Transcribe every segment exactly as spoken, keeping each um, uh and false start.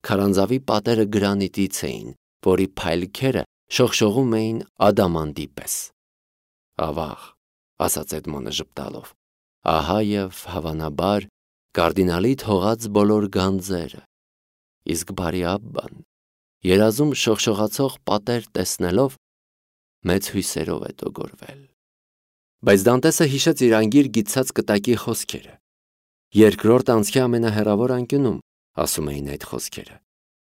Քարանձավի պատերը գրանիտից էին, որի փայլքերը շողշողում էին ադամանդի պես։ Ավաղ, ասաց Էդմոնը ժպտալով, ահա և հավանաբար կարդինալի թողած բոլոր գանձերը, իսկ բարի Աբբան, երազում շողշողացող պատեր տեսնելով, մեծ հույսերով է տոգորվել։ Բայց Դանտեսը հիշեց իր անգիր գիտցած կտակի խոսքերը։ Երկրորդ անցքի ամենահեռավոր անկյունում, ասում էին այդ խոսքերը։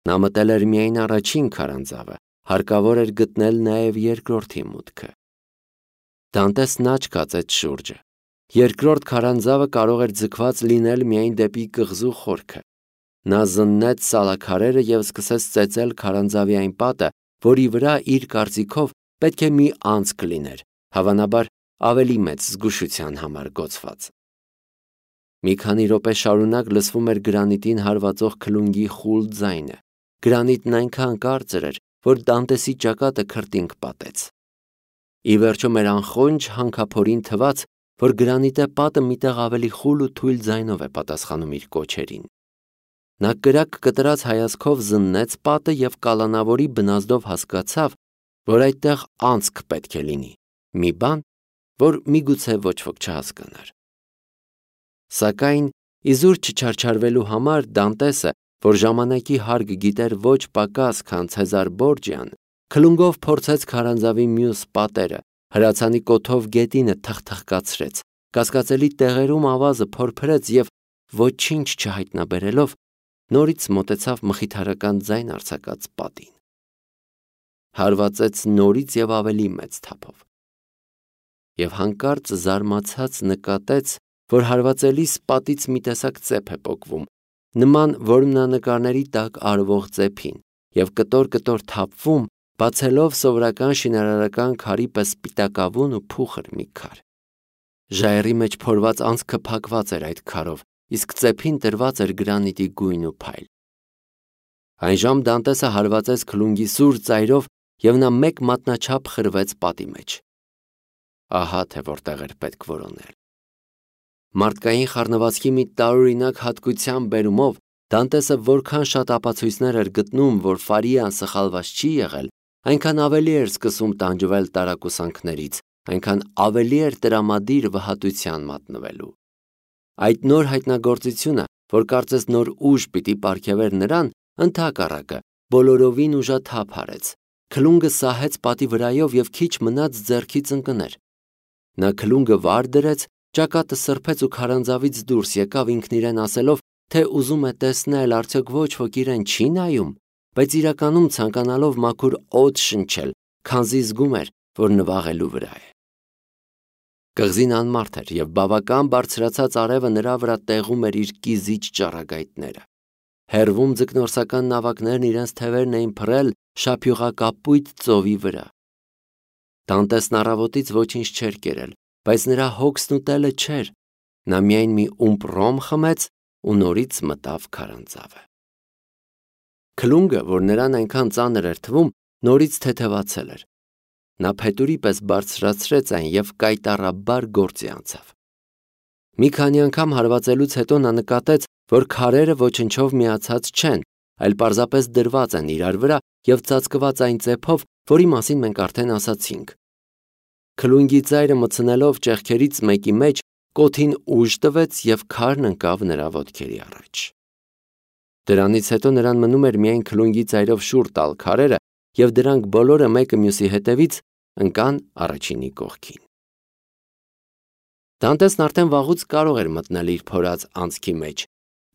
Նա մտել էր միայն առաջին քարանձավը, հարկավոր էր գտնել նաև երկրորդի մուտքը։ Դանտեսն աչք կացեց շուրջը։ Երկրորդ քարանձավը կարող էր ձգված լինել միայն դեպի կղզու խորքը։ Նա զննեց սալաքարերը և սկսեց ծեծել քարանձավի այն պատը, որի վրա իր կարծիքով պետք է մի անցք լիներ, հավանաբար ավելի մեծ զգուշության համար գոցված։ Մի քանի րոպե շարունակ լսվում էր գրանիտին հարվածող քլունգի խուլ ձայնը։ Գրանիտն այնքան կարծր էր, որ Դանտեսի ճակատը քրտինք պատեց։ Ի վերջո մեր անխոնջ հանքափորին թվաց, որ գրանիտե պատը միտեղ ավելի խուլ ու թույլ ձայնով է պատասխանում իր կոչերին։ Նա կրակ կտրած հայացքով զննեց պատը և կալանավորի բնազդով հասկացավ, որ այդտեղ անցք պետք է լինի, մի բան, որ միգուցե ոչ ոք չհասկանար։ Սակայն իզուր չչարչարվելու համար Դանտեսը, որ ժամանակի հարկ գիտեր ոչ պակաս, քան Ցեզար Բորջիան, քլունգով փորձեց քարանձավի մյուս պատերը, հրացանի կոթով գետինը թխթխկացրեց, կասկածելի տեղերում ավազը փորփրեց և ոչինչ չհայտնաբերելով, նորից մոտեցավ մխիթարական ձայն արձակած պատին։ Հարվածեց նորից և ավելի մեծ թափով։ Եվ հանկարծ զարմացած նկատեց, որ հարվածելիս պատից մի տեսակ ծեփ է պոկվում, նման որմնանկարների տակ արվող ծեփին, և կտոր-կտոր թափվում, բացելով սովորական շինարարական քարի պես սպիտակավուն ու փուխր մի քար։ Ժայռի մեջ փորված անցքը փակված էր այդ քարով, իսկ ծեփին տրված էր գրանիտի գույն ու փայլ։ Այնժամ Դանտեսը հարվածեց քլունգի սուր ծայրով, և նա մեկ մատնաչափ խրվեց պատի մեջ։ Ահա թե որտեղ էր պետք որոնել։ Մարդկային խառնվածքի մի տարօրինակ հատկության բերումով Դանտեսը որքան շատ ապացույցներ էր գտնում, որ Ֆարիան սխալված չի եղել, այնքան ավելի էր սկսում տանջվել տարակուսանքներից, այնքան ավելի էր տրամադիր վհատության մատնվելու։ Այդ նոր հայտնագործությունը, որ կարծես նոր ուժ պիտի պարգևեր նրան, ընդհակառակը բոլորովին ուժաթափ արեց։ Քլունգը սահեց պատի վրայով և քիչ մնաց ձեռքից ընկներ։ Նա քլունգը վար դրեց, ճակատը սրբեց ու քարանձավից դուրս եկավ ինքն իրեն ասելով, թե ուզում է տեսնել, արդյոք ոչ ոք իրեն չի նայում, բայց իրականում ցանկանալով մաքուր օդ շնչել, քանզի զգում էր, որ նվաղելու վրա է։ Կղզին անմարդ էր և բավական բարձրացած արևը նրա վրա տեղում էր իր կիզիչ ճառագայթները։ Հեռվում ձկնորսական նավակներն իրենց թևերն էին փռել շափյուղակապույտ ծովի վրա։ Դանտեսն առավոտից ոչինչ չէր կերել, բայց նրա հոգսն ուտելը չէր, նա միայն մի ումպ ռոմ խմեց ու նորից մտավ քարանձավը։ Քլունգը, որ նրան այնքան ծանր էր թվում, նորից թեթևացել էր։ Նա փետուրի պես բարձրացրեց այն և կայտառաբար գործի անցավ։ Մի քանի անգամ հարվածելուց հետո նա նկատեց, որ քարերը ոչնչով միացած չեն, այլ պարզապես դրված են իրար վրա և ծածկված այն ծեփով, որի մասին մենք արդեն ասացինք։ Քլունգի ծայրը մտցնելով ճեղքերից մեկի մեջ, կոթին ուժ տվեց և քարն ընկավ նրա ոտքերի առաջ։ Դրանից հետո նրան մնում էր միայն քլունգի ծայրով շուռ տալ քարերը, և դրանք բոլորը մեկը մյուսի հետևից ընկան առաջինի կողքին։ Դանտեսն արդեն վաղուց կարող էր մտնել իր փորած անցքի մեջ,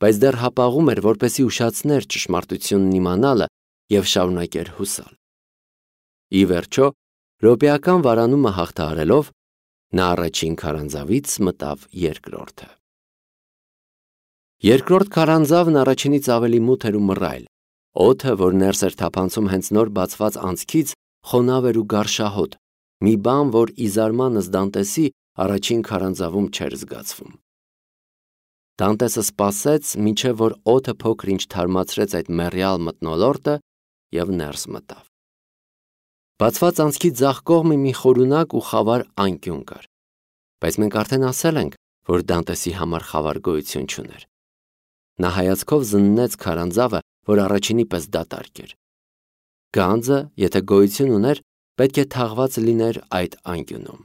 բայց դեռ հապաղում էր, որպեսզի ուշացներ ճշմարտությունն իմանալը և շարունակեր հուսալ։ Ի վերջո, րոպեական վարանումը հաղթահարելով, նա առաջին քարանձավից մտավ երկրորդը։ Երկրորդ քարանձավն առաջինից ավելի մութ էր ու մռայլ։ Օդը, որ ներս էր թափանցում հենց նոր բացված անցքից, խոնավ էր ու գարշահոտ, մի բան, որ ի զարմանս Դանտեսի առաջին քարանձավում չէր զգացվում։ Դանտեսը սպասեց, մինչև որ օդը փոքր-ինչ թարմացրեց այդ մեռյալ մթնոլորտը և ներս մտավ։ Բացված անցքի ձախ կողմը մի խորունակ ու խավար անկյուն կար, բայց մենք արդեն ասել ենք, որ Դանտեսի համար խավար գոյություն չուներ։ Նա հայացքով զննեց քարանձավը, որ առաջինի պես դատարկ էր։ Գանձը, եթե գոյություն ուներ, պետք է թաղված լիներ այդ անկյունում։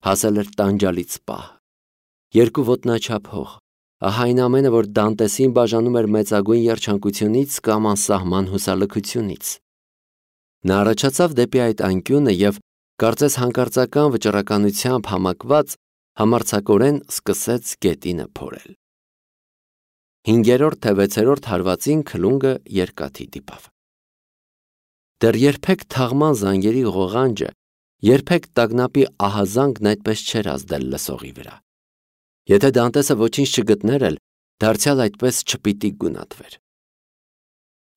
Հասել էր տանջալից պահ։ Երկու ոտնաչափ հող, ահա այն ամենը, որ Դանտեսին բաժանում էր մեծագույն երջանկությունից կամ անսահման հուսալքությունից։ Նա առաջացավ դեպի այդ անկյունը և, կարծես հանկարծական վճռականությամբ համակված, համարձակորեն սկսեց գետինը փորել։ Հինգերորդ թե վեցերորդ հարվածին քլունգը երկաթի դիպավ։ Դեռ երբեք թաղման զանգերի ղողանջը, երբեք տագնապի ահազանգն այդպես չէր ազդել լսողի վրա։ Եթե Դանտեսը ոչինչ չգտներ էլ, դարձյալ այդպես չպիտի գունատվեր։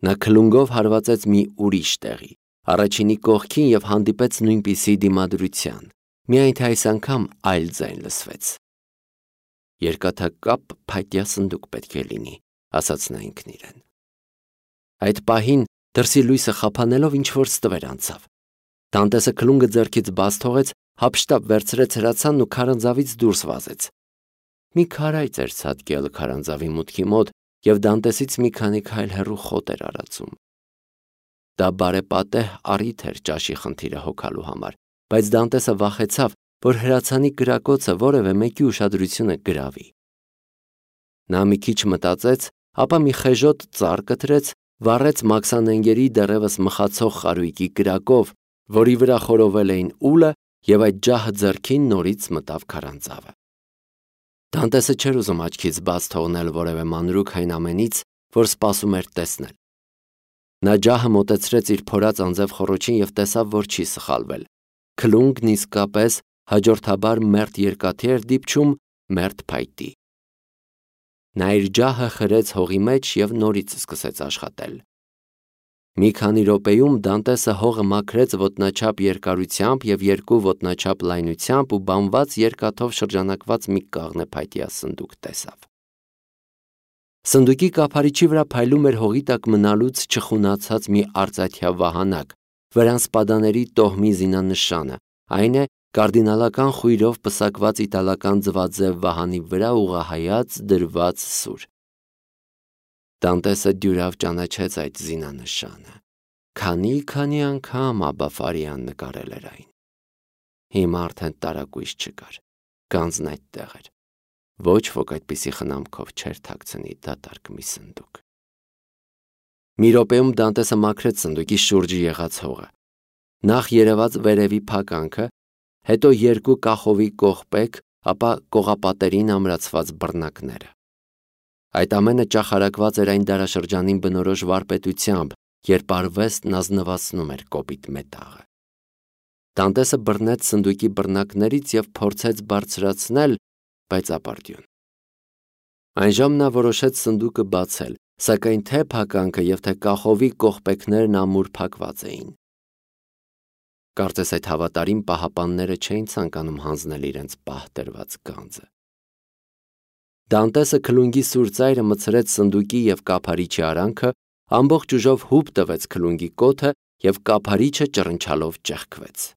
Նա քլունգով հարվածեց մի ուրիշ տեղի, առաջինի կողքին և հանդիպեց նույնպիսի դիմադրության, միայն թե այս անգամ այլ ձայն լսվեց։ Երկաթակապ փայտյա սնդուկ պետք է լինի, ասաց նա ինքն իրեն։ Այդ պահին դրսի լույսը խափանելով ինչ-որ ստվեր անցավ։ Դանտեսը քլունգը ձեռքից բաց թողեց, հափշտապ վերցրեց հրացանն ու քարանձավից դուրս վազեց։ Մի քարայծ էր ցատկել քարանձավի մուտքի մոտ և Դանտեսից մի քանի քայլ հեռու խոտ էր արածում։ Դա բարեպատեհ առիթ էր ճաշի խնդիրը հոգալու համար, բայց Դանտեսը վախեցավ, որ հրացանի կրակոցը որևէ մեկի ուշադրությունը գրավի։ Նա մի քիչ մտածեց, ապա մի խեժոտ ծառ կտրեց, վառեց մաքսանենգերի դեռևս մխացող խարույկի կրակով, որի վրա խորովել էին ուլը, և այդ ջահը ձեռքին նորից մտավ քարանձավը։ Դանտեսը չէր ուզում աչքից բաց թողնել որևէ մանրուք այն ամենից, որ սպասում էր տեսնել։ Նա ջահը մոտեցրեց իր փորած անձև խոռոչին և տեսավ, որ չի սխալվել։ Քլունգն իսկապես հաջորդաբար մերթ երկաթի էր դիպչում մերթ փայտի։ Նա իր ջահը խրեց հողի մեջ և նորից սկսեց աշխատել։ Մի քանի րոպեում Դանտեսը հողը մաքրեց ոտնաչափ երկարությամբ և երկու ոտնաչափ լայնությամբ ու բամված երկաթով շրջանակված մի կաղնե փայտյա սնդուկ տեսավ։ Սնդուկի կափարիչի վրա փայլում էր հողի տակ մնալուց չխունացած մի արծաթյա վահանակ, վրան սպադաների տոհմի զինանշանը, այն է, կարդինալական խույրով պսակված իտալական ձվաձև վահանի վրա ուղղահայաց դրված սուր։ Դանտեսը դյուրավ ճանաչեց այդ զինանշանը։ Քանի-քանի անգամ Աբբա Ֆարիան նկարել էր այն։ Հիմա արդեն տարակույս չկար, գանձն այդտեղ էր։ Ոչ ոք այդպիսի խնամքով չէր թաքցնի դատարկ մի սնդուկ։ Մի րոպեում Դանտեսը մաքրեց սնդուկի շուրջը եղած հողը։ Նախ երևաց վերևի փականքը, հետո երկու կախովի կողպեք, ապա կողապատերին ամրացված բռնակները։ Այդ ամենը ճախարակված էր այն դարաշրջանին բնորոշ վարպետությամբ, երբ արվեստն ազնվացնում էր կոպիտ մետաղը։ Դանտեսը բռնեց սնդուկի բռնակներից և փորձեց բարձրացնել, բայց ապարդյուն։ Այնժամ նա որոշեց սնդուկը բացել, սակայն թե փականքը և թե կախովի կողպեքներն ամուր փակված էին։ Կարծես այդ հավատարիմ պահապանները չէին ցանկանում հանձնել իրենց պահ տրված գանձը։ Դանտեսը քլունգի սուր ծայրը մտցրեց սնդուկի և կափարիչի արանքը, ամբողջ ուժով հուպ տվեց քլունգի կոթը և կափարիչը ճռնչալով ճեղքվեց։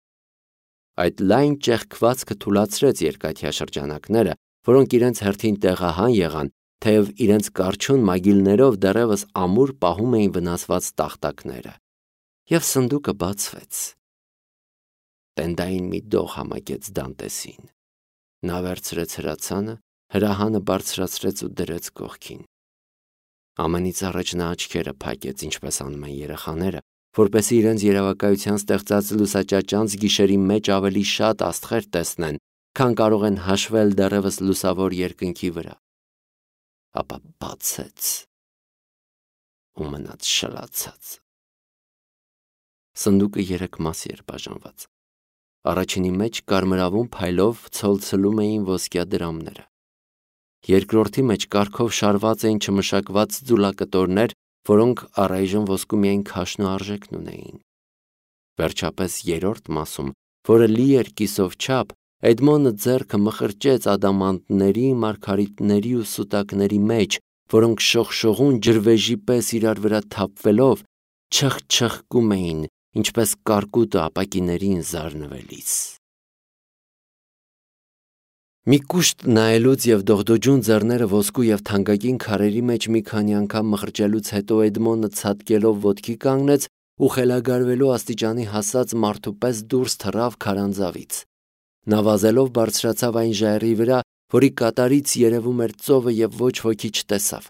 Այդ լայն ճեղքվածքը թուլացրեց երկաթյա շրջանակները, որոնք իրենց հերթին տեղահան եղան, թեև իրենց կառչուն մագիլներով դեռևս ամուր պահում էին վնասված տախտակները, և սնդուկը բացվեց։ Տենդային մի դող համակեց Դանտեսին։ Նա վերցրեց հրացանը, հրահանը բարձրացրեց ու դրեց կողքին։ Ամենից առաջ նա աչքերը փակեց, ինչպես անում են երեխաները, որպեսզի իրենց երևակայության ստեղծած լուսաճաճանց գիշերի մեջ ավելի շատ աստղեր տեսնեն, քան կարող են հաշվել դեռևս լուսավոր երկնքի վրա։ Ապա բացեց ու մնաց շլացած։ Սնդուկը երեք մասի էր բաժանված։ Առաջինի մեջ կարմրավուն փայլով ցոլցլում էին ոսկյա դրամները։ Երկրորդի մեջ կարգով շարված էին չմշակված ձուլակտորներ, որոնք առայժմ ոսկու միայն քաշն ու արժեքն ունեին։ Վերջապես երրորդ մասում, որը լի էր կիսով չափ, Էդմոնը ձեռքը մխրճեց ադամանդների, մարգարիտների ու սուտակների մեջ, որոնք շողշողուն ջրվեժի պես իրար վրա թափվելով չխչխկում էին, ինչպես կարկուտը ապակիներին զարնվելիս։ Մի կուշտ նայելուց և դողդոջուն ձեռները ոսկու և թանկագին քարերի մեջ մի քանի անգամ մխրճելուց հետո Էդմոնը ցատկելով ոտքի կանգնեց ու խելագարվելու աստիճանի հասած մարդու պես դուրս թռավ քարանձավից։ Նա վազելով բարձրացավ այն ժայռի վրա, որի կատարից երևում էր ծովը և ոչ ոքի չտեսավ։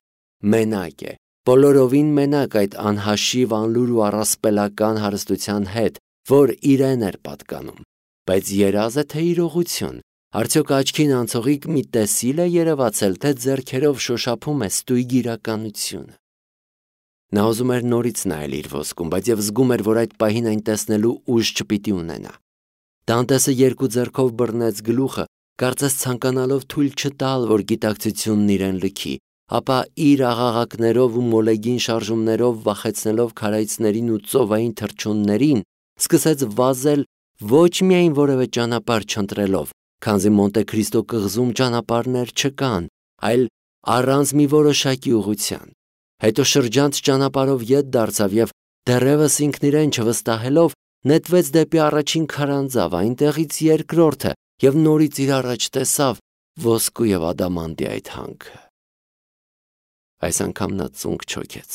Մենակ է, բոլորովին մենակ այդ անհաշիվ, անլուր ու առասպելական հարստության հետ, որ իրեն էր պատկանում։ Բայց երազ է թե իրողություն, արդյոք աչքին անցողիկ մի տեսիլ է երևացել, թե ձեռքերով շոշափում է ստույգ իրականությունը։ Նա ուզում էր նորից նայել իր ոսկուն, բայց և զգում էր, որ այդ պահին այն տեսնելու ուժ չպիտի ունենա։ Դանտեսը երկու ձեռքով բռնեց գլուխը, կարծես ցանկանալով թույլ չտալ, որ գիտակցությունն իրեն լքի, ապա իր աղաղակներով ու մոլեգին շարժումներով վախեցնելով քարայծներին ու ծովային թռչուններին, սկսեց վազել ոչ միայն որևէ ճանապարհ չընտրելով, քանզի Մոնտե Քրիստո կղզում ճանապարհներ չկան, այլ առանց մի որոշակի ուղղության։ Հետո շրջանց ճանապարհով ետ դարձավ և դեռևս ինքն իրեն չվստահելով նետվեց դեպի առաջին քարանձավ, այնտեղից երկրորդը և նորից իր առաջ տեսավ ոսկու և ադամանդի այդ հանքը։ Այս անգամ նա ծունկ չոքեց,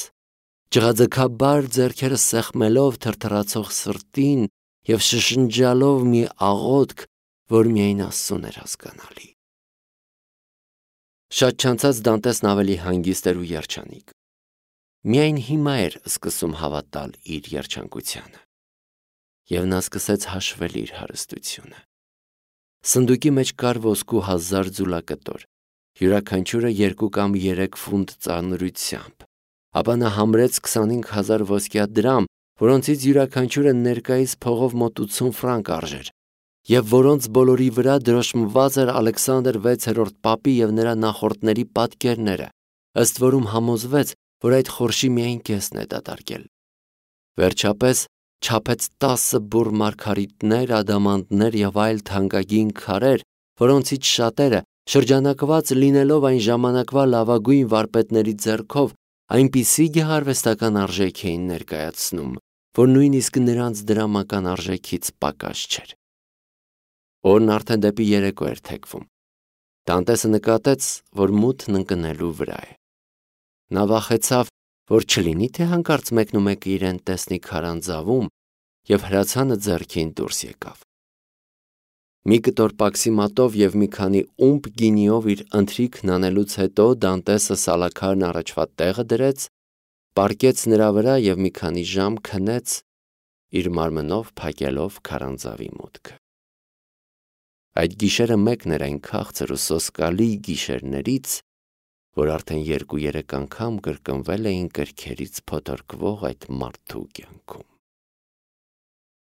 ջղաձգաբար ձեռքերը սեղմելով թրթռացող սրտին և շշնջալով մի աղոթք, որ միայն Աստծուն էր հասկանալի։ Շատ չանցած Դանտեսն ավելի հանգիստ էր ու երջանիկ։ Միայն հիմա էր սկսում հավատալ իր երջանկությանը։ Եվ նա սկսեց հաշվել իր հարստությունը։ Սնդուկի մեջ կար ոսկու հազար ձուլակտոր, յուրաքանչյուրը երկու կամ երեք ֆունտ ծանրությամբ, ապա նա համրեց քսանհինգ հազար ոսկյա դրամ, որոնցից յուրաքանչյուրը ներկայիս փողով մոտ ութսուն ֆրանկ արժեր, և որոնց բոլորի վրա դրոշմված էր Ալեքսանդր վեցերորդ պապի և նրա նախորդների պատկերները, ըստ որում համոզվեց, որ այդ խորշի միայն կեսն է դատարկել։ Վերջապես չափեց տասը բուռ մարգարիտներ, ադամանդներ և այլ թանկագին քարեր, որոնցից շատերը, շրջանակված լինելով այն ժամանակվա լավագույն վարպետների ձեռքով, այնպիսի գեղարվեստական արժեք էին ներկայացնում, որ նույնիսկ նրանց դրամական արժեքից պակաս չէր։ Օրն արդեն դեպի երեկո էր թեքվում։ Դանտեսը նկատեց, որ մութն ընկնելու վրա է։ Նա վախեցավ, որ չլինի, թե հանկարծ մեկնումեկը իրեն տեսնի քարանձավում, և հրացանը ձեռքին դուրս եկավ։ Մի կտոր պաքսի մատով և մի քանի ումպ գինիով իր ընթրիքն անելուց հետո Դանտեսը սալաքարն առաջվա տեղը դրեց, պառկեց նրա վրա և մի քանի ժամ քնեց, իր մարմնով փակելով քարանձավի մուտքը։ Այդ գիշերը մեկն էր այն քաղցր ու սոսկալի գիշերներից, որ արդեն երկու-երեք անգամ կրկնվել էին գրքերից փոթորկվող այդ մարդու կյանքում։